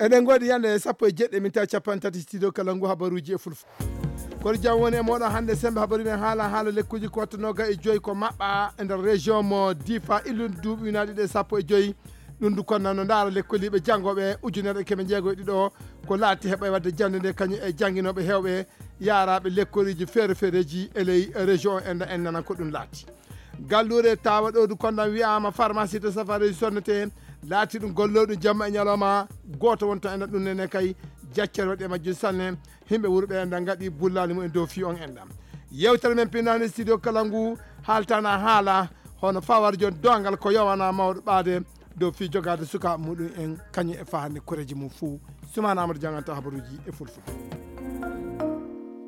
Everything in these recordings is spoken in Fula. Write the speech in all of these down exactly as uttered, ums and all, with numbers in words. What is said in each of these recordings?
Eɗen ngoodi yande sappo e jeɗɗi minta capanɗe tati studio kala ngu habaruuji e fulfo. Kono jam woni e mooɗon hannde sembe habaru men haala, haala lekkuuji ko watta nooga e joyi ko maɓɓa e nder région mo Difa, illude duuɓi ujunaaji ɗiɗi e sappo e joyi. Ɗum du kono no ndaara lekkoliiɓe janngooɓe ujunere e keme jeego e ɗiɗo ko laati heɓa e waɗde jannde nde kañum e jannginooɓe heewɓe yaaraaɓe lekkoliiji feere feereeji e ley région o, en en nanan ko ɗum laati. Galluure tawa ɗo du kondan wi'ama pharmacie de safareji sonnete, laati ɗum golloɗum jamma e ñalawma, gooto wonto enɗan ɗum nene kay, jaccere waɗi e majjum sanne. Himɓe wuro ɓe enɗan ngaɗi bullali mum en dow fi on enɗan. Yewtere men pinnani studio kala ngu haaltana haala hono fawar jon dogal ko yowana mawɗo ɓaade dow fi jogaade suka muɗum en kañum e fahande koreji mum fuu. Sumana Amadou janganta habaruji e fulfulde.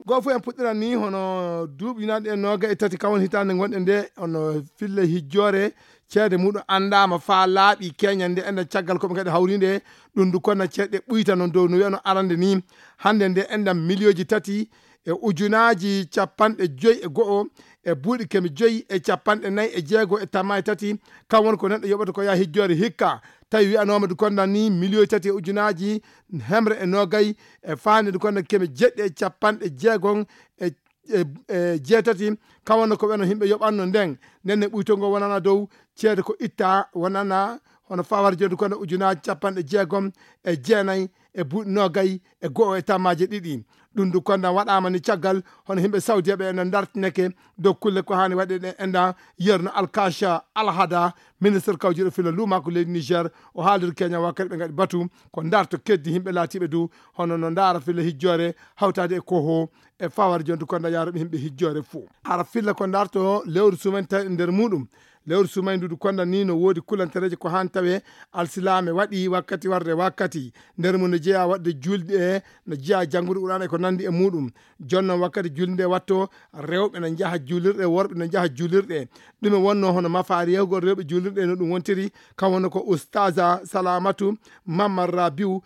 Goo fof en puɗɗiran ni hono duuɓi naɗi e nooga e tati kawon hitaande ngonɗe nde, hono fille hijjoore ceede muɗum anndaama faa laaɓi keñan nde enɗan caggal ko ɓe ngaɗi hawrinde. Ɗum du konna ceeɗe ɓuyta noon dow no wiyano arande ni. Hannde nde enɗan miliyooji tati e ujunaaji capanɗe joyi e go'o e buuɗi keme joyi e capanɗe nayi e jeego e tamma e tati. Kam woni ko neɗɗo yoɓata ko yaha hijjoore hikka. Tawi wiyanooma du kondan ni miliyooji tati e ujunaaji hemre e noogay e faande du kondan keme jeɗɗi e capanɗe jeegon e, e, e jeetati. Kam wonno ko ɓeno yimɓe yoɓanno nden. Nden ne ɓuytol ngol wonana dow ceede ko itta wonana hono fawar jondu kondan ujunaaji capanɗe jeegom e jeenay e buuɗi noogay e go'o e tammaaje ɗiɗi. Ɗum du kondan waɗaama ni caggal hono yimɓe Saudiya ɓe ena ndartineke dow kulle ko haani waɗe ɗe enɗan yerno Alkasha Alhada, ministre kawjuɗo filla luumaako leydi Niger, o haaliri Kenya wakkati ɓe ngaɗi batu ko ndarto keddi yimɓe laatiiɓe du hono no ndaara filla hijjoore hawtaade e koho e fawar jondu kondan yaaruɓe yimɓe hijjoore fuu. Hara filla ko ndarto lewru sumen tawi e nder muɗum. Lewru sumaydu du kondan ni no woodi kulantereeje ko haan tawe alsilaame waɗi wakkati warde wakkati. Nder mum no jeyaa waɗde juulde e no jeyaa janngude Qur'aana e ko nanndi e muɗum. Jonnon wakkati juulde nde watto, rewɓe no njaha juulirɗe, worɓe no njaha juulirɗe. Ɗume wonno hono mafaari yahugol rewɓe juulirɗe no ɗum wontiri, kam wonno ko Ustaza Salamatu Mamman Rabiu,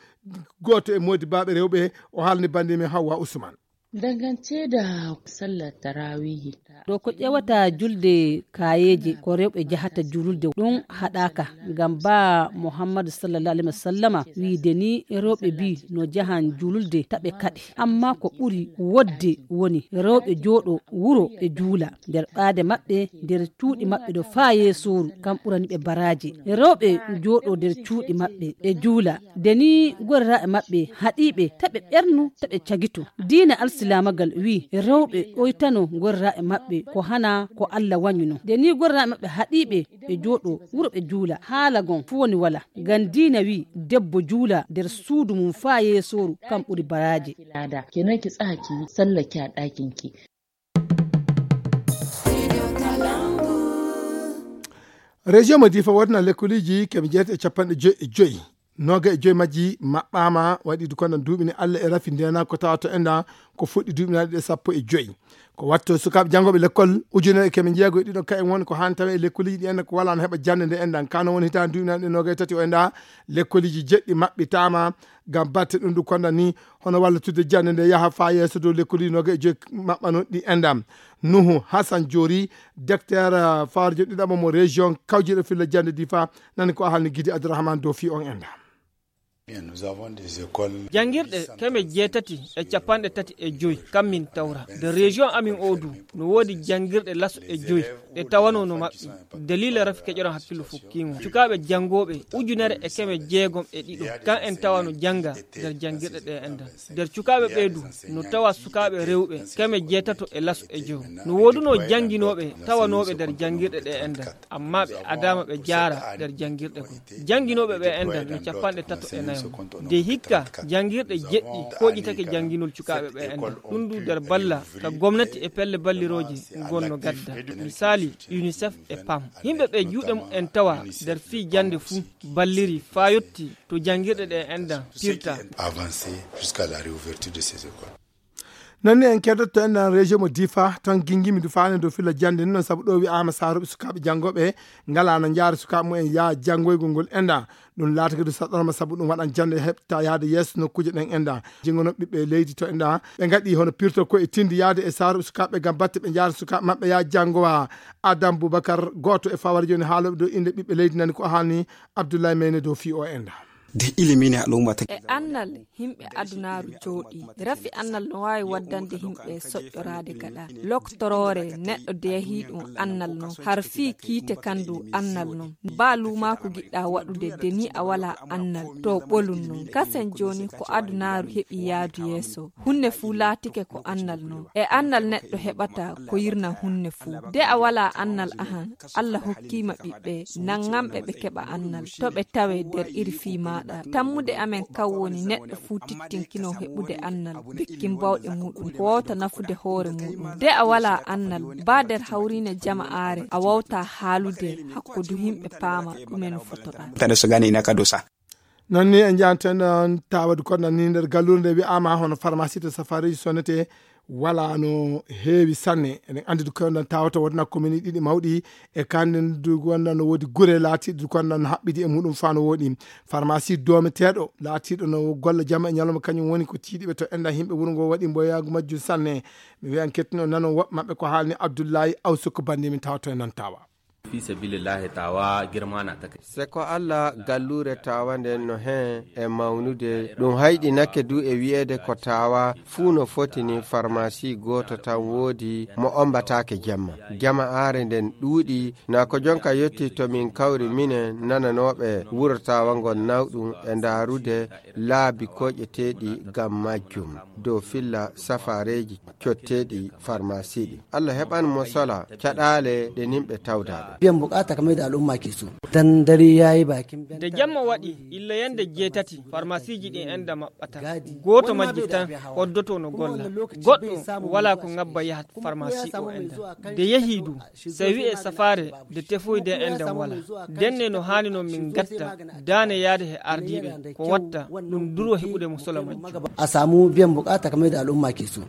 gooto e moodi baaɓe rewɓe, o haalni bannde men Hawwa Usman. Dangance da sallar tarawihi. Ɗo ko ƴewata julde kaayeeje, ko rewɓe jahata julde, ɗum haɗaaka. Ngam ba Muhammadu sallallahu alaihi wasallama wiide ni, rewɓe bi no jahan julde taɓe kaɗe. Amma ko ɓuri wodde woni rewɓe jooɗo wuro ɓe juula. Nder ɓaade maɓɓe, nder cuuɗi maɓɓe ɗo faa yeesooru, kam ɓurani ɓe baraaje. Rewɓe jooɗo nder cuuɗi maɓɓe, ɓe juula. Nde ni gorraaɓe maɓɓe haɗiiɓe, taɓe ɓernu, taɓe cagito. Diina alsilaamagal wii, rewɓe oytano gorraaɓe maɓɓe ko hana ko Alla wañuno. Nde ni gorraaɓe maɓɓe haɗiiɓe, ɓe jooɗo wuro ɓe juula. Haala gon fu woni wala. Ngam diina wii, debbo juula nder suudu mum faa yeesooru, kam ɓuri baraaje. Lada. Kenan ki tsaya ki yi sallah ki a ɗakin ki. Région mo Difa wodna lekkoliji keme jeetati e capanɗe joyi e joyi. Nooga e joyi majji maɓɓaama, waɗi du kono duuɓi ni Alla e rafi ndena ko tawa to enda ko fuɗɗi duuɓi naɗi ɗe sappo e joyi. Ko watto sukaaɓe janngooɓe lekkol ujunere e keme jeego e ɗiɗo ka en woni ko haan tawe e lekkoliji ɗi enda ko wala no heɓa jannde nde endan. Kano woni hitaande duuɓi naɗi ɗe nooga e tati o enda lekkoliji jeɗɗi maɓɓitaama ngam batte ɗum du konda ni hono wallitude jannde nde yaha faa yeeso dow lekkoliji nooga e joyi maɓɓano ɗi endan. Nuhu Hassan Joori, docteur, eh, fawarjo ɗiɗaɓo mo région kawjiɗo filla jannde Difa, nani ko a halni Gidi Abdourahmane dow fi on enda. Bien, nous avons des écoles. Janngirɗe keme jeetati e capanɗe tati e joyi kammin tawra. Nder région amin o du, no woodi janngirɗe laso e joyi ɗe tawano no maɓɓi. Dalila rafi keƴoran hakkillo fukkiingo. Cukaaɓe janngooɓe ujunere e keme jeegom e ɗiɗo. Kan en tawano jannga nder janngirɗe ɗe endan. Nder cukaaɓe ɓee du, no tawa sukaaɓe rewɓe keme jeetato e laso e joyo. No woodunoo jannginooɓe tawanooɓe nder janngirɗe ɗe endan, ammaa ɓe adaama ɓe jaara nder janngirɗe goo. Jannginooɓe ɓe endan no capanɗe tato e nayo. Nde hikka, janngirɗe jeɗɗi kooƴitake jannginol cukaaɓe ɓe endan. Ɗum du nder balla ka gomnati e pelle ballirooje ngon no gadda. Misaali, UNICEF e pam. Yimɓe ɓe juuɗe mum en tawa nder fii jannde fuu balliri faa yotti to janngirɗe ɗe endan pirta. Avancé jusqu'à la réouverture de ces écoles. Noon ni en keddotto enɗan région mo Difa, toon gingimi du faane dow filla jannde ni noon, sabu ɗo wi'aama saarooɓe sukaaɓe janngooɓe ngalaa no njaara sukaaɓe mumen yaha janngoygol ngol enɗan. Ɗum laatake du saɗɗorma sabu ɗum waɗan jannde heɓta yahde yeeso nokkuuje ɗen enɗan. Jinngono ɓiɓɓe leydi to enɗan, ɓe ngaɗi hono pirto ko e tindi yahde e saarooɓe sukaaɓe ngam batte ɓe njaara sukaaɓe maɓɓe yaha janngowa. Adam Boubacar, gooto e fawara jooni haalooɓe dow innde ɓiɓɓe leydi nani ko haalni Abdoulaye Meyne dow fii o enɗan. De ilimine al'umma ta. E annal, himɓe adunaaru jooɗi. Rafi annal no waawi waddande himɓe soƴƴoraade gaɗa. Loktoroore neɗɗo de yahii ɗum annal non. Har fii kiite kandu annal non. Baa luumaaku giɗɗa waɗude de ni a walaa annal. To ɓolum non. Kasen jooni ko adunaaru heɓi yaadu yeeso. Hunne fuu laatike ko annal non. E annal neɗɗo heɓata ko yirna hunne fuu. De a walaa annal ahan, Alla hokkiima ɓiɓɓe, nanŋanɓe ɓe keɓa annal. To ɓe tawee der iri fii maaɗa. Tammude amen kan woni neɗɗo fuu tittinkino heɓude annal, bekkin bawɗe muuɗum, ko wawta nafude hoore muuɗum. De a walaa annal, baa der hawriine jama'aare, a wawtaa haalude, hakkudu himɓe paama ɗume no fotoɗaa. Tane so gani ina ka dosa. Non ni en njahanten on tawa du konnan ni nder galluure nde wi'aama hono pharmacie to safareeji sonnete wala no heewi sanne. Eɗen anndi du konnan tawata wodna commune ɗiɗi mawɗi e kandi du konnan no woodi gure laatiiɗe du konnan no haɓɓidi e muɗum faa no woɗi. Pharmacie doometeeɗo laatiiɗo no golla jamma e ñalawma kañum woni ko tiiɗiɓe to enda yimɓe wuro ngo waɗi mboyaagu majjum sanne. Mi wi'an kettino nanon woɓɓe maɓɓe ko haalni Abdullahi Awsuk bannde min tawata e non tawa. Fi sabilillahi tawa girmana ta kai. Se ko Alla galluure tawa nden no hen e mawnude, ɗum hayɗinake du e wi'eede ko tawa fuu no foti ni farmasi gooto tan woodi mo ombataake jamma. Jama'aare nden ɗuuɗi, na ko jonka yotti to min kawri minen nananooɓe wuro tawa ngon nawɗum e ndaarude laabi koƴeteeɗi ngam majjum dow filla safaareeji cotteeɗi farmasi ɗi. Alla heɓan mo sola caɗaale ɗe nimɓe tawdaaɗe. Biyan bukata kamar da al'umma ke so. Dan dare ya yi bakin. Da jamma waɗi, illa yande jeetati, farmasiiji ɗin enda maɓɓata. Gooto majji tan hoddoto no golla. Goɗɗo wala ko ngabba yahat farmasi o enda. De yehi du, sai wi'e safaare de tefoy de enda wala. Denne no haani no min gatta, daane yaade he ardiiɓe, ko watta, ɗum duro heɓude mo sola majji. A samu biyan bukata kamar da al'umma ke so.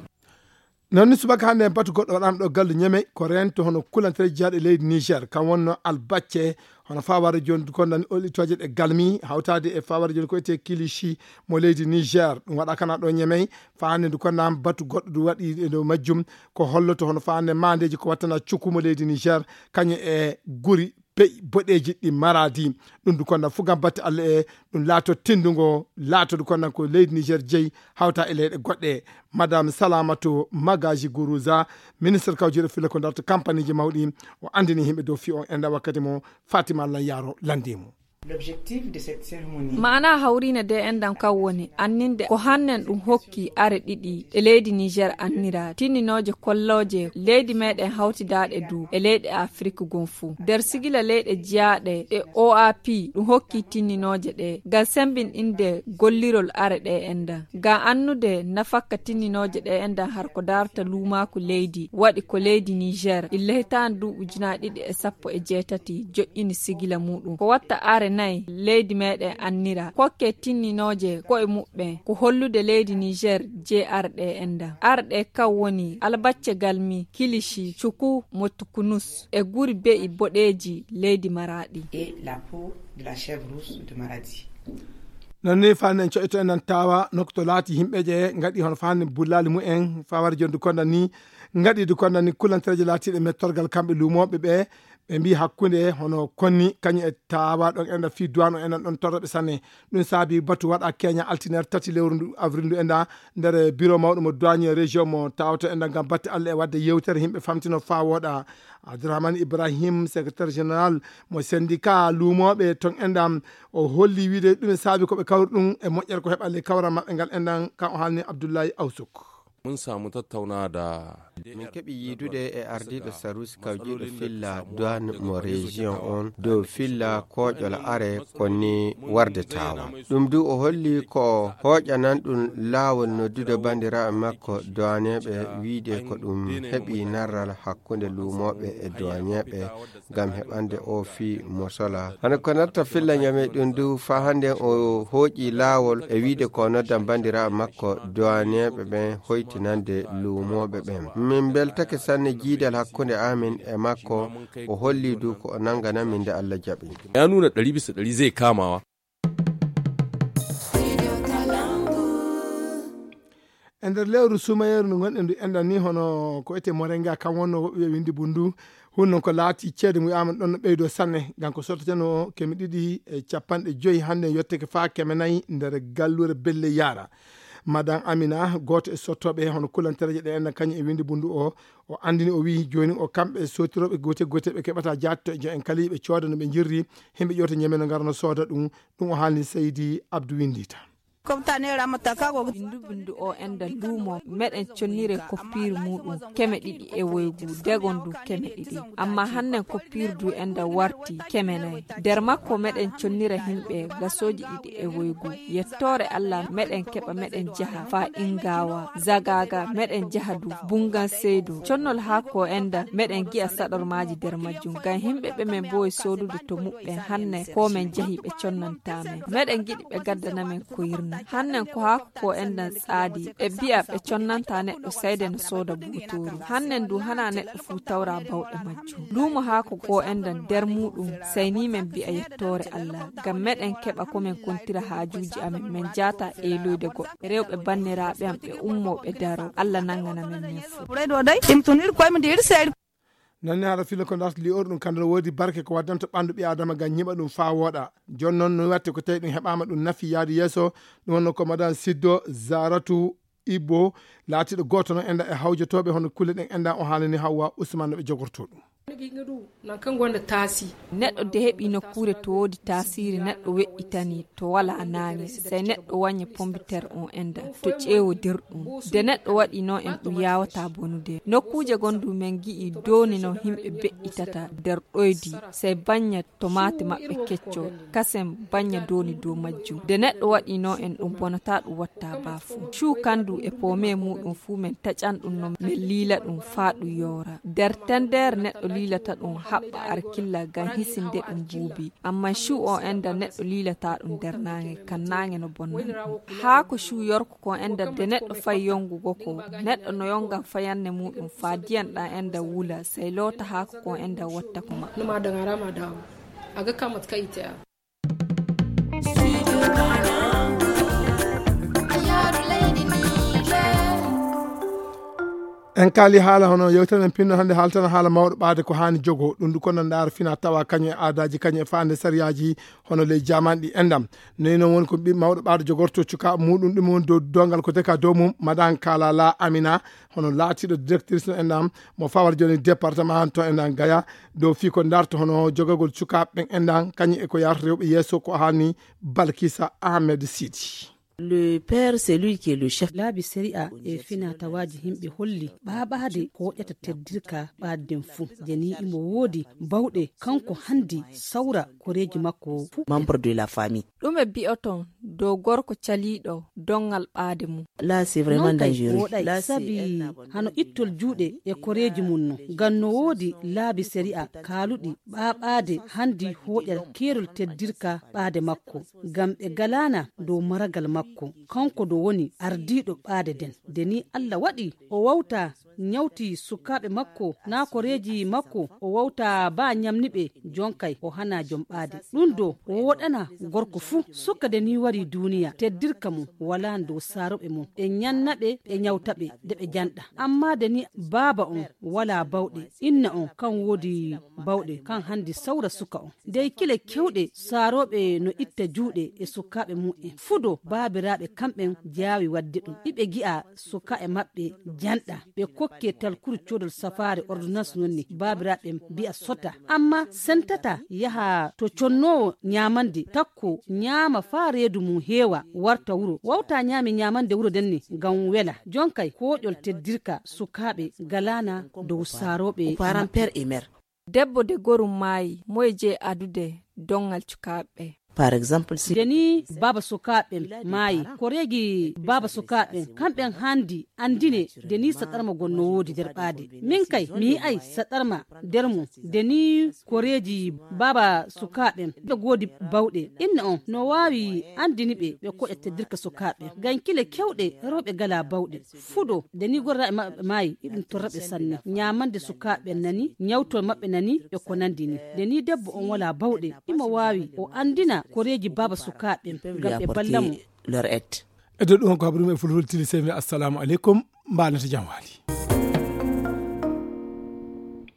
Non ni subaka hannde en batu goɗɗo waɗaama ɗo gallu Ñemey, ko reento hono kulantere jeyaaɗo e leydi Niger, kam wonno Albacce, hono faa warde jooni du konnan olɗitooje ɗe galmi, hawtaade e faa warde jooni ko etee Kilishi mo leydi Niger. Ɗum waɗa kana ɗo Ñemey, faa hannde du konnan batu goɗɗo du waɗi e dow majjum, ko holloto hono faa hannde maandeeji ko wattana cuku mo leydi Niger, kañum e guri be'i boɗeeji ɗi maraadi. Ɗum du konnan fu ngam batte Alla e ɗum laato tindungo, laato du konnan ko leydi Niger jeyi, hawta e leyɗe goɗɗe. Madame Salamatu Magaji Guruza, ministre kawjiiɗo filla ko darta kampaniiji mawɗi, o anndini yimɓe dow fii on enda wakkati mo Fatima Lan Yaro lanndii mo. L'objectif de cette cérémonie. Maana hawriine de endan kan woni anninde ko hannen ɗum hokki are ɗiɗi ɗe leydi Niger annira, tinninooje kollooje leydi meɗen hawtidaaɗe du e leyɗe Afrik gon fuu. Nder sigila leyɗe jiyaaɗe e O A P ɗum hokki tinninooje ɗe. Ngal sembinɗinde gollirol are ɗe endan. Ngam annude nafakka tinninooje ɗe endan har ko darta luumaaku leydi, waɗi ko leydi Niger, illa hitaande du ujunaaji ɗiɗi e sappo e jeetati joƴƴini sigila muɗum. Ko watta are nay leydi meɗen annira. Kokke tinninooje ko'e muɓɓen ko hollude leydi Niger je are ɗe endan. Are ɗe kan woni albacce galmi, kilishi, cuku, motukunus e guri be'i boɗeeji leydi Maraɗi. Et la peau de la chèvre rousse de Maradi. Non ni faa en coƴƴoto en nan tawa nokku to laati yimɓe je ngaɗi hono faa hannde bullaali mumen faa wara jondu konda ni ngaɗi du konda ni kulantereje laatiiɗe mettorgal kamɓe luumooɓe ɓe, ɓe mbii hakkunde hono konni kañum e tawa ɗon enda fii duwaan o enda ɗon torra ɓe sanne. Ɗum saabi batu waɗa keña altine tati lewru ndu avril ndu enda nder biro mawɗo mo douanier région mo tawto enda ngam batte Alla e waɗde yewtere yimɓe famtino faa wooɗa. Abdourahmane Ibrahim, secrétaire général mo syndicat luumooɓe ton enda, o holli wiide ɗum e saabi ko ɓe kawri ɗum e moƴƴere ko heɓa ley kawral maɓɓe ngal endan kan o haalni Abdoulaye Awsuk. Mun samu tattauna da. Min keɓi yiidude e ardiiɗo sarusi kawjiiɗo filla douane mo région on dow filla kooƴol are konni warde tawa. Ɗum du o holli ko hooƴanan ɗum laawol noddude banndiraaɓe makko douaneeɓe wiide ko ɗum heɓi narral hakkunde luumooɓe e douaneeɓe ngam heɓande o fii mosola. Hano ko natta filla ñame ɗum du faa hannde o hooƴi laawol e wiide ko noddan banndiraaɓe makko douaneeɓe ɓen hoytinande luumooɓe ɓen. Min mbeltake sanne jiidal hakkunde amin e makko, o holli du ko o nangana min nde Alla jaɓi. Ya nuna ɗari bisa ɗari zai kamawa. E nder lewru sumayeeru ndu ngonɗen ndu enɗan ni, hono ko etee morenga, kam wonno woɓɓe wiya windi bundu. Hun non ko laati ceede mu wiyaama ɗon no ɓeydo sanne, ngam ko sotteten o keme ɗiɗi e capanɗe joyi, hannde yotteke faa keme nayi nder gallure Belle Yara. Madan Amina, gooto e sottooɓe hono kulantereeje ɗe enɗan kañum e windi bundu o, o anndini, o wiyi jooni o kamɓe sootirooɓe goote goote ɓe keɓata jaatto e jo'en kala yiɓe cooda no ɓe njirri, himɓe ƴoota ñeme no ngara no sooda ɗum. Ɗum o haalni Seydi Abdou Windita. Bindu bindu o enda luumo meɗen connire koppiire muɗum keme ɗiɗi e woygu, degon du keme ɗiɗi. Amma hannen koppiire du enda warti keme nayi. Nder makko meɗen connira himɓe gasooji ɗiɗi e woygu. Yettoore Allah meɗen keɓa meɗen jaha faa Ingawa, Zagaga, meɗen jaha du Bungan Seydo. Connol haa ko enda meɗen gi'a saɗormaaji nder majjum. Ngam himɓe ɓe men mboyi soodude to muɓɓen hanne ko men jahi ɓe connantaa men. Meɗen giɗi ɓe gaddana men ko yirna. Hannen ko haa ko enɗan tsaadi, ɓe mbi'a ɓe connantaa neɗɗo sayde no sooda buutooru. Hannen du hana neɗɗo fuu tawra bawɗe majjum. Luumo haako ko enɗan nder muuɗum, sayni men mbi'a yettoore Allah. Ngam meɗen keɓa ko men kontira haajuuji amen, men jaata eeloyde goɗɗo. Rewɓe banniraaɓe am ɓe ummoo ɓe daroo. Allah nangana men men fuu. Noon ni haala filo ko darta li'or ɗum, kamɗe no woodi barke ko waddanta ɓanndu ɓii Aadama ngam ñiɓa ɗum faa wooɗa. Jooni noon no watte ko tawi ɗum heɓaama ɗum nafi yaade yeeso, ɗum wonno ko Madan Siddo Zaratu Ibbo, laatiiɗo gooto noon enɗan e hawjotooɓe hono kulle ɗen enɗan, o haalani Hawwa Usman no ɓe jogortoo ɗum. Neɗɗo de heɓi nokkuure to woodi taasiri, neɗɗo weƴƴitani to walaa naange, sey neɗɗo waña pombiteer on enɗan to ƴeewodir ɗum. De neɗɗo waɗi noon en ɗum yaawataa bonude. Nokkuuje gonɗu men gi'i dooni no himɓe beƴƴitata nder ɗoydi, sey bañña tomaate maɓɓe kecco, kasen bañña dooni dow majjum. De neɗɗo waɗi noon en ɗum bonataa ɗum watta baafu. Cuu kandu e poome muuɗum fuu men taƴan ɗum no men liila ɗum faa ɗum yoora. Nder tendeere neɗɗo liilata ɗum haɓɓa arkilla ngam hisinde ɗum buubi. Amma cuu o enɗan neɗɗo liilata ɗum nder naange, kan naange no bonna ɗum. Haa ko cuu yorko ko enɗan de neɗɗo fay yongugo ko, neɗɗo no yongan fayanne muuɗum faa diyan ɗan enɗan wula, sey loota haako ko enɗan watta ko maɓɓe. En kaali haala hono yewtere men pinno hannde haaltana haala mawɗo ɓaade ko haani jogo ɗum, ndu kono ndaara fina tawa kañum e aadaaji, kañum e faande sariyaaji hono ley jaman ɗi enɗam. Noyi noon woni ko ɓi-, mawɗo ɓaade jogorto cuka muɗum, ɗum woni dow dongal ko deka dow mum, Madan Kalala Amina, hono laatiiɗo directrice no enɗam, mo fawar jooni département to enɗam Gaya, dow fii ko darta hono jogagol cukaaɓe ɓen enɗam, kañum e ko yarta rewɓe yeeso ko haani Balkisa Ahmed Sidi. Le père, c'est lui qui est le chef. Laabi sariya e finatawaaji himɓe holli ɓaaɓaade ko woƴƴata teddirka ɓaade nden fuu. Jeni imo woodi bawɗe kanko handi sawra koreeji makko fuu. Membre de la famille. Ɗume bi'oton dow gorko caliiɗo donngal ɓaade mum? Là, c'est vraiment dangereux. Woɗay sabi hano ittol juuɗe e koreeji mum no. Ngam no woodi laabi sariya kaaluɗi ɓaaɓaade handi hooƴa keerol teddirka ɓaade makko. Ngam ɓe galaana dow maragal makko, kanko do woni ardiiɗo ɓaade nden. Nde ni Allah waɗi o wawta ñawti sukaaɓe makko, naa koreeji makko, o wawta baa ñamni ɓe, jonkay o hana jom ɓaade. Ɗum do wooɗana gorko fuu. Suka nde ni wari duuniya, teddirka mum walaa dow saaroɓe mum. Ɓe ñanna ɓe, ɓe ñawta ɓe, de ɓe janɗa. Amma nde ni baaba on walaa bawɗe, inna on kan woodi bawɗe, kan handi sawra suka on. Dey kile kewɗe saarooɓe no itta juuɗe e sukaaɓe mum'en. Fudo baabiraaɓe kamɓen jaawi waɗde ɗum. Iɓe gi'a sukaaɓe maɓɓe janɗa. Ɓe kokke talkuru coodol safaare ordonnance non ni baabiraaɓe mbi'a sota. Amma sentata yaha to connoowo ñaamande takko ñaama faa reedu mum heewa warta wuro. Wawta ñaami ñaamande wuro nden ni ngam wela. Jonkay kooƴol teddirka sukaaɓe galaana dow saarooɓe. Parents, père et mère. Debbo de gorum maayi, moye jey adude donngal cukaaɓe? Par exemple, si. Nde ni baaba sukaaɓe maayi, koreeji baaba sukaaɓe, kamɓe handi andine nde ni saɗarma gon no woodi nder ɓaade. Min kay, mi yi'ay saɗarma nder mum, nde ni koreeji baaba sukaaɓe ɓe goodi bawɗe. Inna on no waawi andini ɓe, ɓe koƴa teddirka sukaaɓe. Ngam kile kewɗe rewɓe gala bawɗe. Fudo, nde ni gorraaɓe maɓɓe maayi, iɗum torra ɓe sanne. Ñaamande sukaaɓe nani, ñawtol maɓɓe nani, e ko nandi ni. Nde ni debbo on walaa bawɗe, imo waawi o andina koreeji baaba sukaaɓe, ngam ɓe balla mo. Leur aide. E dow ɗum ko habaru men fulfulde tili sey mi assalamu aleykum. Mbaanata jam waali.